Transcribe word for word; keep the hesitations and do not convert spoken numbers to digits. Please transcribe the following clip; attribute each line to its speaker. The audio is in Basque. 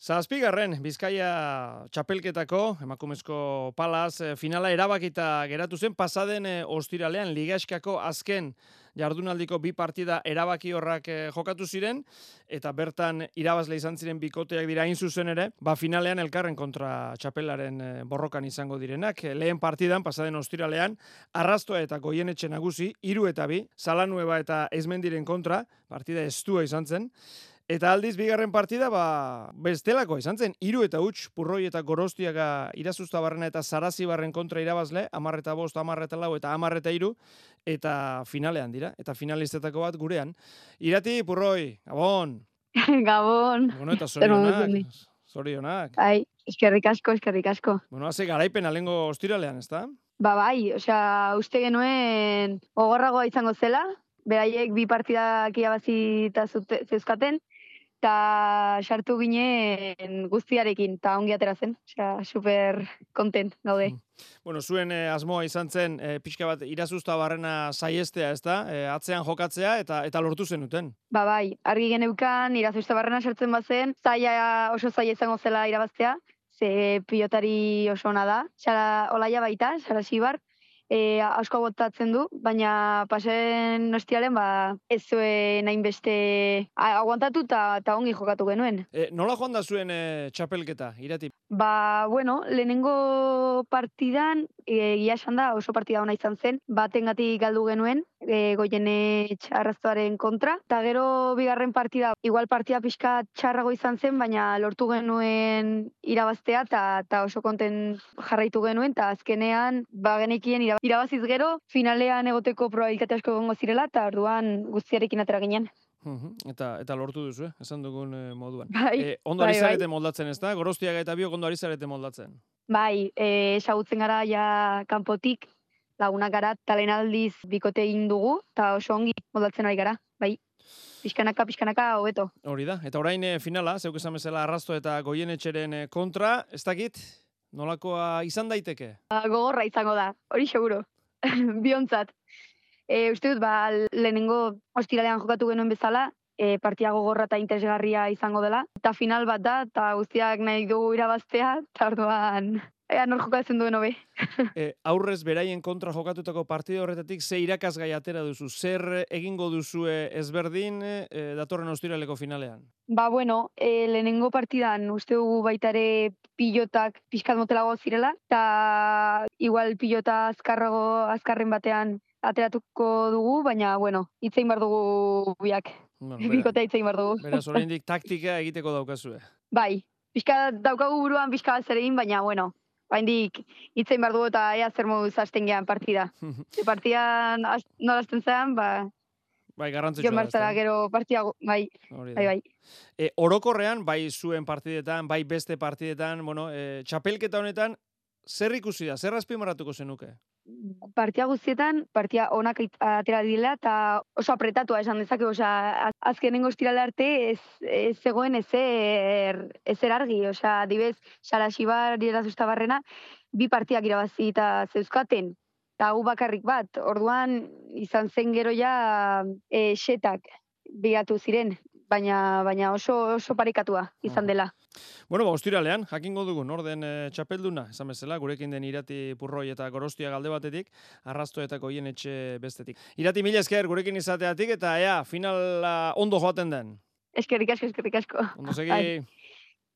Speaker 1: Zazpigarren Bizkaia txapelketako emakumezko palaz finala erabakita geratu zen pasaden ostiralean Ligaskako azken jardunaldiko bi partida erabaki horrak jokatu ziren eta bertan irabazle izan ziren bikoteak dira hain zuzen ere, ba finalean elkarren kontra txapelaren borrokan izango direnak. Lehen partidan pasaden ostiralean Arrastoa eta Goienetxe nagusi hiru eta bi, Salanueba eta Ezmendiren kontra, partida estua izan zen. Eta aldiz, bigarren partida, ba, bestelako izan zen, hiru eta huts, Purroi eta Gorostiaga Irazuztabarrena eta Sarazibarren kontra irabazle, hamar eta bost, hamar eta lau eta hamar eta hiru, eta finalean dira, eta finalistetako bat gurean. Irati, Purroi, Gabon!
Speaker 2: Gabon!
Speaker 1: Bueno, eta zorionak, zorionak.
Speaker 2: Bai, eskerrik asko, eskerrik asko.
Speaker 1: Bueno, haze garaipen alengo ostiralean, ezta?
Speaker 2: Ba, bai, osea, uste genuen gogorragoa izango zela, beraiek bi partidak irabazita zeuzkaten, eta sartu ginen guztiarekin, eta ongi atera zen, osea, super kontent gaude.
Speaker 1: Bueno, zuen eh, asmoa izan zen, eh, pixka bat Irazuztabarrena saiestea, ez da? Eh, atzean jokatzea, eta eta lortu zenuten.
Speaker 2: Ba, bai, argi geneukan Irazuztabarrena sartzen bazen, zaila oso zaila izango zela irabaztea, ze pilotari oso ona da, Sara Olaia baita, Sarasibar, E, asko botatzen du, baina pasen ostiaren ba, ez zuen hainbeste aguantatu eta ongi jokatu genuen.
Speaker 1: E, nola joan da zuen e, txapelketa, Irati?
Speaker 2: Ba, bueno, lehenengo partidan, e, gila esan da, oso partida ona izan zen, batengatik galdu genuen, e, Goienetxe Arrastoaren kontra, eta gero bigarren partida, igual partida pixka txarrago izan zen, baina lortu genuen irabaztea, eta oso konten jarraitu genuen, eta azkenean, ba, genekien irabaziz gero, finalean egoteko probabilitate asko egongo zirela, eta orduan guztiarekin atera ginen.
Speaker 1: Uhum, eta eta lortu duzu, eh? Esan dugun eh, moduan.
Speaker 2: Bai,
Speaker 1: eh, ondo
Speaker 2: bai,
Speaker 1: ari zarete
Speaker 2: bai.
Speaker 1: moldatzen, ez da? Gorostiaga eta biok ondo ari zarete moldatzen.
Speaker 2: Bai, eh, esagutzen gara ja kanpotik, lagunak gara, talen aldiz bikote egin dugu, eta oso ongi moldatzen ari gara, bai. Pixkanaka, pixkanaka, hobeto.
Speaker 1: Hori da, eta orain eh, finala, zeuk esan bezala Arrasto eta Goienetxeren eh, kontra, ez dakit, nolakoa izan daiteke?
Speaker 2: Ba, gogorra izango da, hori seguro, biontzat. E, uste dut, ba, lehenengo ostiralean jokatu genuen bezala, e, partia gogorra eta interesgarria izango dela. Eta final bat da, eta guztiak nahi dugu irabaztea, eta orduan, ea nor jokatzen duen hobe.
Speaker 1: e, aurrez beraien kontra jokatutako partida horretatik, ze irakasgai atera duzu? Zer egingo duzue ezberdin e, datorren ostiraleko finalean?
Speaker 2: Ba, bueno, e, lehenengo partidan uste dugu baita ere pilotak pixkat motelago zirela, eta igual pilota azkarrago, azkarren batean ateratuko dugu, baina, bueno, hitzein bar dugu biak. Bueno, bikotea hitzein bar dugu.
Speaker 1: Beraz, oraindik taktika egiteko daukazue.
Speaker 2: Bai, pixka daukagu buruan pixka bat zer egin, baina, bueno, oraindik hitzein bar dugu eta ea zer moduz hasten gean partida. E, partidan nola hasten zean, ba...
Speaker 1: Bai, garrantzitsua
Speaker 2: da. Gero partia, bai, bai, bai.
Speaker 1: E, orokorrean, bai zuen partidetan, bai beste partidetan, bueno, e, txapelketa honetan, zer ikusi da, zer azpimarratuko zenuke?
Speaker 2: Partia guztietan, partia onak atera dila, eta oso apretatua esan dezake, osea, azkenengo estirale arte ez, ez zegoen ezer, ezer argi, osea, dibez, Sarasibar Irazuztabarrena, bi partiak irabazi eta zeuzkaten, eta gu bakarrik bat, orduan izan zen gero ja e, xetak bigatu ziren, baina, baina oso, oso parekatua izan dela.
Speaker 1: Bueno, ba, ostiralean, jakingo dugu, norden e, txapelduna, esan bezala, gurekin den Irati, Purroi eta Gorostia galde batetik, Arrasto eta Goienetxe bestetik. Irati, mila esker gurekin izateatik, eta ea, finala ondo joaten den.
Speaker 2: Eskerrik asko, eskerrik asko.
Speaker 1: Ondo segi.